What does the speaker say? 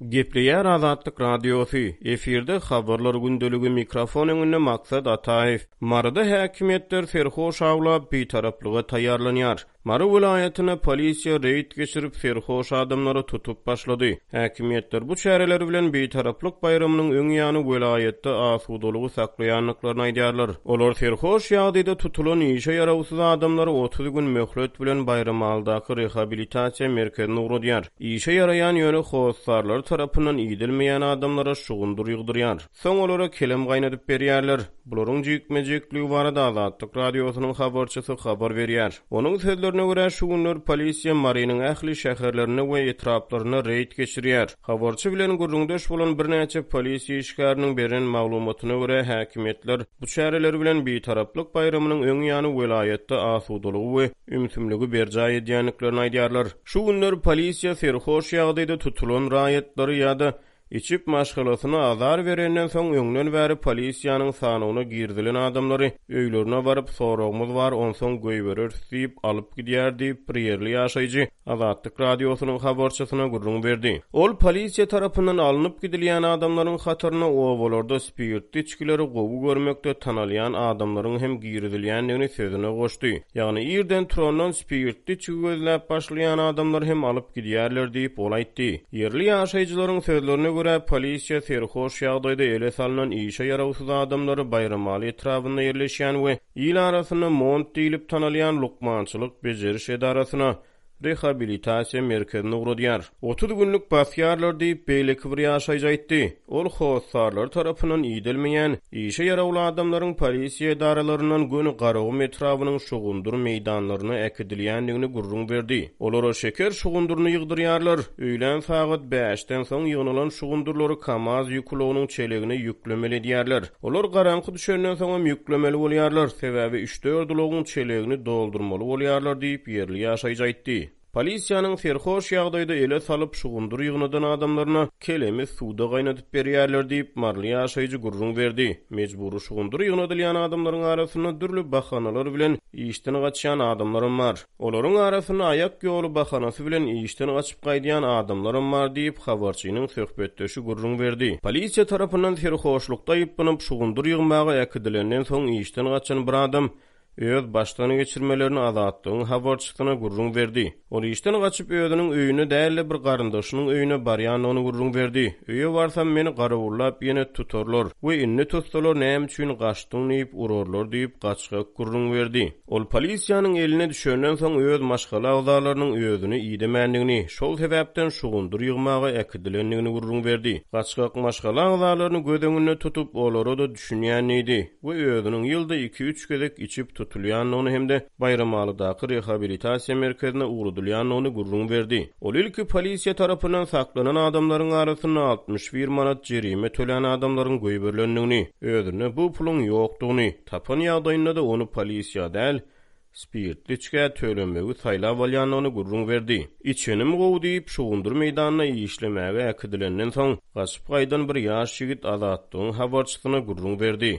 Gepleýär Azatlyk Radiosy, efirde Habarlar gündeligi, mikrofon öňünde Maksat Ataýew. Maryda häkimiýetler serhoş awlap, bitaraplyga taýýarlanýar. Mary welaýatynda polisiýa reýd geçirip, serhoş adamlary tutup başlady. Häkimiýetler bu çäreleri bilen Bitaraplyk baýramynyň öň ýany welaýatda asudalygy saklaýandyklaryny aýdýarlar. Olar serhoş ýagdaýda tutulan işe ýarawsyz adamlary 30 gün möhlet bilen Baýramalydaky rehabilitasiýa merkezine ugradýar. Işe ýaraýan, ýöne hossarlary tarapyndan idelmeýän adamlara şugundyr ýygdyrýar. Soň olara kelem gaýnadyp berýärler. Bularyň jikme-jikligi barada Azatlyk Radiosynyň habarçysy habar berýär. Onuň sözlerine görä, şu günler polisiýa Marynyň ähli şäherlerinde we etraplarynda reýd geçirýär. Habarçy bilen gürrüňdeş bolan birnäçe polisiýa işgäriniň beren maglumatyna görä, häkimiýetler bu çäreleri bilen Bitaraplyk baýramynyň öň ýany welaýatda asudalygy we ümsümligi berjaý edýändiklerini aýdýarlar. Şu günler polisiýa serhoş ýagdaýda tutulan raýatlary ýa-da Içip maşgalasyna azar berenden soň öňden bäri polisiýanyň sanawyna girizilen adamlary öýlerine baryp soragymyz bar onsoň goýbereris diýip alyp gidýär diýip bir ýerli ýaşaýjy Azatlyk Radiosynyň habarçysyna gürrüň berdi. Ol polisiýa tarapyndan alnyp gidilýän adamlaryň hataryna obalarda spirtli içgileri gowy görmekde tanalýan adamlaryň hem girizilýändigini sözüne goşdy. Ýagny irden turandan spirtli içgi gözläp başlaýan adamlary hem alyp gidýärler diýip, ol aýtdy. Ýerli ýaşaýjylaryň sözlerine görä, polisiýa serhoş ýagdaýda ele salnan işe ýarawsyz adamlary Baýramaly etrabynda ýerleşýän we il arasynda Mont diýlip tanalýan lukmançylyk bejeriş edarasyna, rehabilitasiýa merkezine ugradýar. 30 günlük basýarlar diýip, beýleki bir ýaşaýjy aýtdy. Ol hossarlary tarapyndan idelmeýän, işe ýarawly adamlaryň polisiýa edaralaryndan göni Garagum etrabynyň şugundyr meýdanlaryna äkidilýändigini gürrüň berdi. Olara şeker şugundyryny ýygdyrýarlar. Öýlän sagat bäşden soň ýygnalan şugundyrlary KAMAZ ýük ulagynyň çelegine ýüklemeli edýärler. Olar garaňky düşenden soňam ýüklemeli bolýarlar, sebäbi üç-dört ulagyň çelegini doldurmaly bolýarlar diýip, ýerli ýaşaýjy aýtdy. Polisiýanyň serhoş ýagdaýda ele salyp, şugundyr ýygnadan adamlaryna kelemi suwda gaýnadyp berýärler diýip, maryly ýaşaýjy gürrüň berdi. Mejbury şugundyr ýygnadylýan adamlaryň arasynda dürli bahanalar bilen işden gaçýan adamlaram bar. Olaryň arasynda aýak ýoly bahanasy bilen işden gaçyp gaýdýan adamlaram bar diýip, habarçynyň söhbetdeşi gürrüň berdi. Polisiýa tarapyndan serhoşlukda aýyplanyp, şugundyr ýygmaga äkidilenden soň işden gaçan bir adam öz başdan geçirmelerini Azatlygyň habarçysyna gürrüň berdi. Ol işden gaçyp özüniň öýüne däl-de bir garyndaşynyň öýüne barýandygyny gürrüň berdi. Öýe barsam meni garawullap ýene tutarlar we indi tutsalar näme üçin gaçdyň diýip urarlar diýip gaçgak gürrüň berdi. Ol polisiýanyň eline düşenden soň öz maşgala agzalarynyň özüni idemändigini, şol sebäpden şugundyr ýygmaga äkidilendigini gürrüň berdi. Gaçgak maşgala agzalaryny göz öňünde tutup olara-da düşünýän diýdi. We özüniň ýylda iki-üç gezek içip tutulýandygyny hem-de Baýramalydaky rehabilitasiýa merkezine ugradylýandygyny gürrüň berdi. Ol ilki polisiýa tarapyndan saklanan adamlaryň arasynda 61 manat jerime tölän adamlaryň goýberilendigini, özünde bu puluň ýokdugyny, tapan ýagdaýynda-da ony polisiýa däl, spirtli içgä tölemegi saýlap alýandygyny gürrüň berdi. Içenim gowy diýip, şugundyr meýdanyna işlemäge äkidilenden soň, gaçyp gaýdan bir ýaş ýigit Azatlygyň habarçysyna gürrüň berdi.